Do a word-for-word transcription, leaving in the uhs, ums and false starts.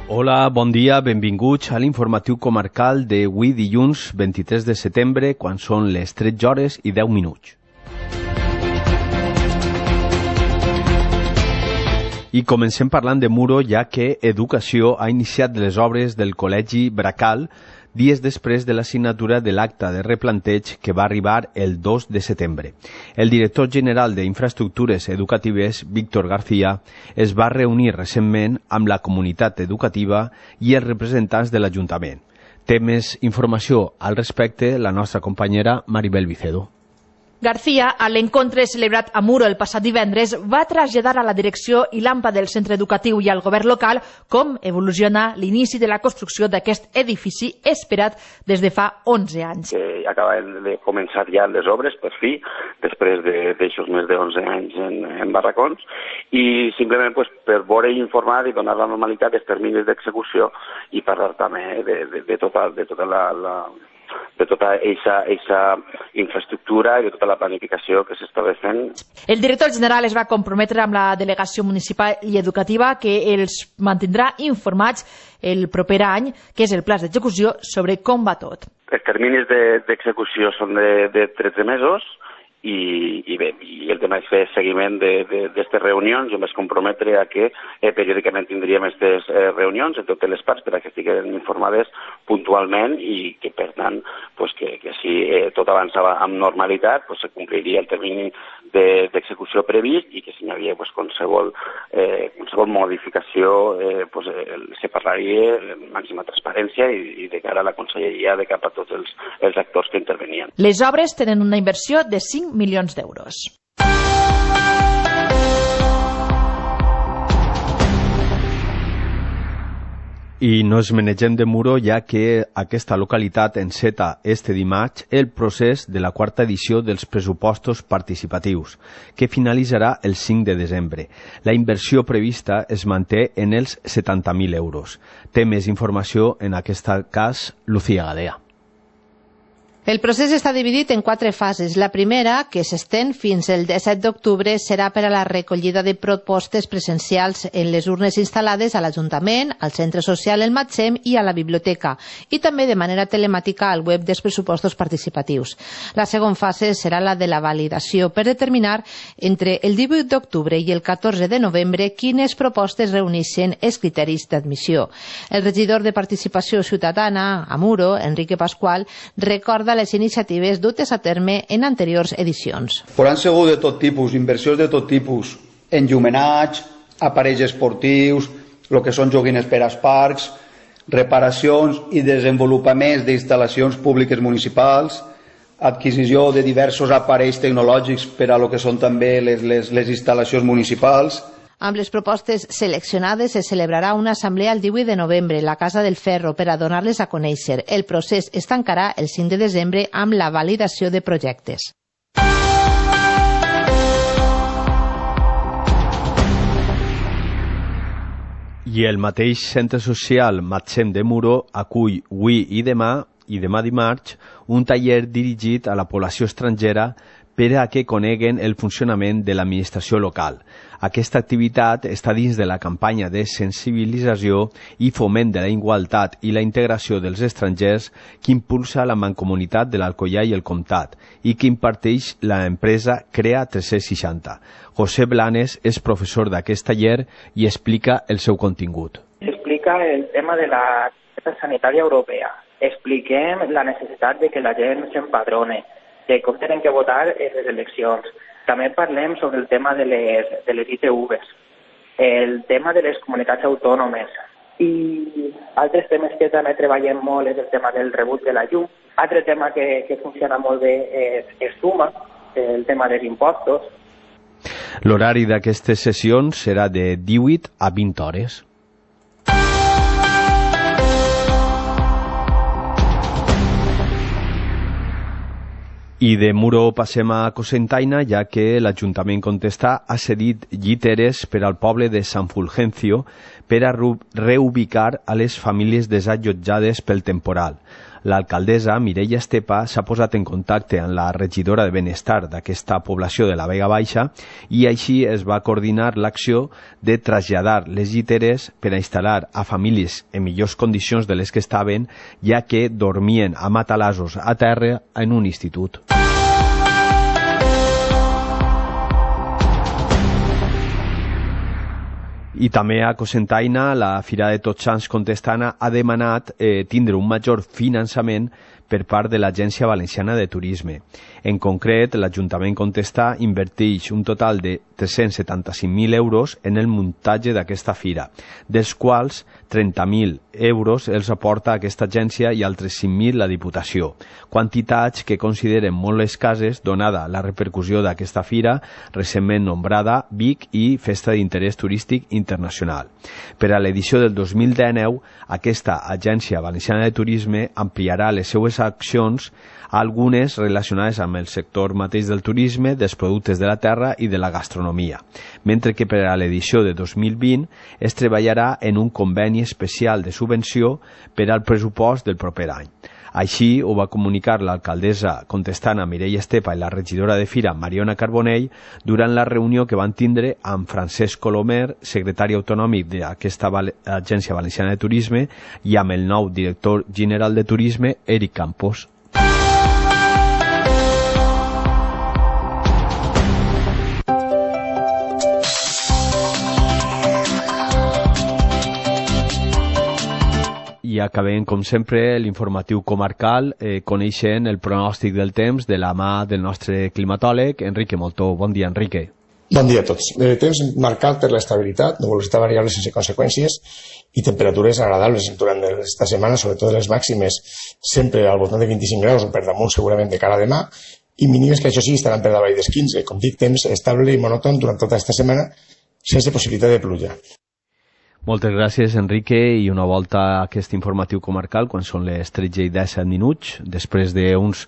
Hola, bon dia, benvinguts a l'informatiu comarcal d'avui dilluns vint-i-tres de setembre, quan són les tretze hores i deu minuts. I comencem parlant de Muro, ja que Educació ha iniciat les obres del Col·legi Bracal dies després de la signatura de l'acte de replanteig que va arribar el dos de setembre. El director general d'Infraestructures Educatives, Víctor García, es va reunir recentment amb la comunitat educativa i els representants de l'Ajuntament. Té més informació al respecte la nostra companyera Maribel Vicedo. García, a l'encontre celebrat a Muro el passat divendres, va traslladar a la direcció i l'AMPA del centre educatiu i al govern local com evoluciona l'inici de la construcció d'aquest edifici esperat des de fa onze anys. Que acaba de començar ja les obres, per fi, després d'aixòs més d'onze anys en, en barracons, i simplement pues, per veure i informar i donar la normalitat dels terminis d'execució i parlar també de, de, de tota, de tota la... la de tota aquesta infraestructura i de tota la planificació que s'estava fent. El director general es va comprometre amb la delegació municipal i educativa que els mantindrà informats el proper any, que és el pla d'execució, sobre com va tot. Els terminis d'execució de, són de, de tretze mesos i, i bé, i el tema és fer seguiment d'aquestes reunions. Jo em vaig comprometre a que eh, periòdicament tindríem aquestes eh, reunions en totes les parts per a que estiguin informades puntualment i que, per tant, pues, que, que si eh, tot avançava amb normalitat, pues, se compliria el termini d'execució de, previst i que si hi havia pues, qualsevol, eh, qualsevol modificació eh, pues, eh, se parlaria amb màxima transparència i, i de cara a la conselleria, de cap a tots els, els actors que intervenien. Les obres tenen una inversió de cinc milions d'euros. I no es menegem de Muro, ja que aquesta localitat enceta este dimarts el procés de la quarta edició dels pressupostos participatius, que finalitzarà el cinc de desembre. La inversió prevista es manté en els setanta mil euros. Té més informació, en aquest cas, Lucía Gadea. El procés està dividit en quatre fases. La primera, que s'estén fins el disset d'octubre, serà per a la recollida de propostes presencials en les urnes instal·lades a l'Ajuntament, al Centre Social El Matsem i a la Biblioteca, i també de manera telemàtica al web dels pressupostos participatius. La segona fase serà la de la validació per determinar entre el divuit d'octubre i el catorze de novembre quines propostes reuneixen els criteris d'admissió. El regidor de Participació Ciutadana a Muro, Enrique Pascual, recorda les iniciatives dutes a terme en anteriors edicions. Però han sigut de tot tipus, inversions de tot tipus, enllumenats, aparells esportius, el que són joguines per als parcs, reparacions i desenvolupaments d'instal·lacions públiques municipals, adquisició de diversos aparells tecnològics per a lo que són també les, les, les instal·lacions municipals. Amb les propostes seleccionades se celebrarà una assemblea el divuit de novembre a la Casa del Ferro per a donar-les a conèixer. El procés es tancarà el cinc de desembre amb la validació de projectes. I el mateix centre social Matsem de Muro acull avui i demà, i demà dimarts, un taller dirigit a la població estrangera per a que coneguen el funcionament de l'administració local. Aquesta activitat està dins de la campanya de sensibilització i foment de la igualtat i la integració dels estrangers que impulsa la Mancomunitat de l'Alcoià i el Comtat i que imparteix l'empresa Crea tres-cents seixanta. José Blanes és professor d'aquest taller i explica el seu contingut. Explica el tema de la targeta sanitària europea. Expliquem la necessitat de que la gent s'empadrone, de com tenen que votar en les eleccions. També parlem sobre el tema de les, de les I T Vs, el tema de les comunitats autònomes i altres temes que també treballem molt és el tema del rebut de la llum. Altre tema que, que funciona molt bé és, és Suma, el tema dels impostos. L'horari d'aquestes sessions serà de divuit a vint hores. I de Muro passem a Cocentaina, ja que l'Ajuntament Contestà ha cedit lliteres per al poble de Sant Fulgencio per a reubicar a les famílies desallotjades pel temporal. L'alcaldessa, Mireia Estepa, s'ha posat en contacte amb la regidora de Benestar d'aquesta població de la Vega Baixa i així es va coordinar l'acció de traslladar les lliteres per a instal·lar a famílies en millors condicions de les que estaven, ja que dormien a matalassos a terra en un institut. I també a Cocentaina, la Fira de Tots Sants Contestana ha demanat eh, tindre un major finançament per part de l'Agència Valenciana de Turisme. En concret, l'Ajuntament Contestà inverteix un total de tres-cents setanta-cinc mil euros en el muntatge d'aquesta fira, dels quals trenta mil euros els aporta aquesta agència i altres cinc mil la Diputació, quantitats que consideren molt escasses donada la repercussió d'aquesta fira recentment nombrada Vic i Festa d'Interès Turístic Internacional. Per a l'edició del dos mil dinou, aquesta Agència Valenciana de Turisme ampliarà les seues accions, algunes relacionades amb el sector mateix del turisme, dels productes de la terra i de la gastronomia, mentre que per a l'edició de dos mil vint es treballarà en un conveni especial de subvenció per al pressupost del proper any. Així ho va comunicar l'alcaldessa contestana Mireia Estepa i la regidora de Fira Mariona Carbonell durant la reunió que van tindre amb Francesc Colomer, secretari autonòmic d'aquesta Agència Valenciana de Turisme, i amb el nou director general de Turisme, Eric Campos. I acabem, com sempre, l'informatiu comarcal, eh, coneixent el pronòstic del temps de la mà del nostre climatòleg, Enrique Moltó. Bon dia, Enrique. Bon dia a tots. Eh, temps marcat per l'estabilitat, nuvolositat variable sense conseqüències i temperatures agradables durant aquesta setmana, sobretot les màximes, sempre al voltant de vint-i-cinc graus o per damunt segurament de cara a demà, i mínimes que això sí estaran per davall dels quinze. Com dic, temps estable i monòton durant tota aquesta setmana sense possibilitat de pluja. Moltes gràcies, Enrique, i una volta a aquest informatiu comarcal quan són les tretze i disset minuts, després d'uns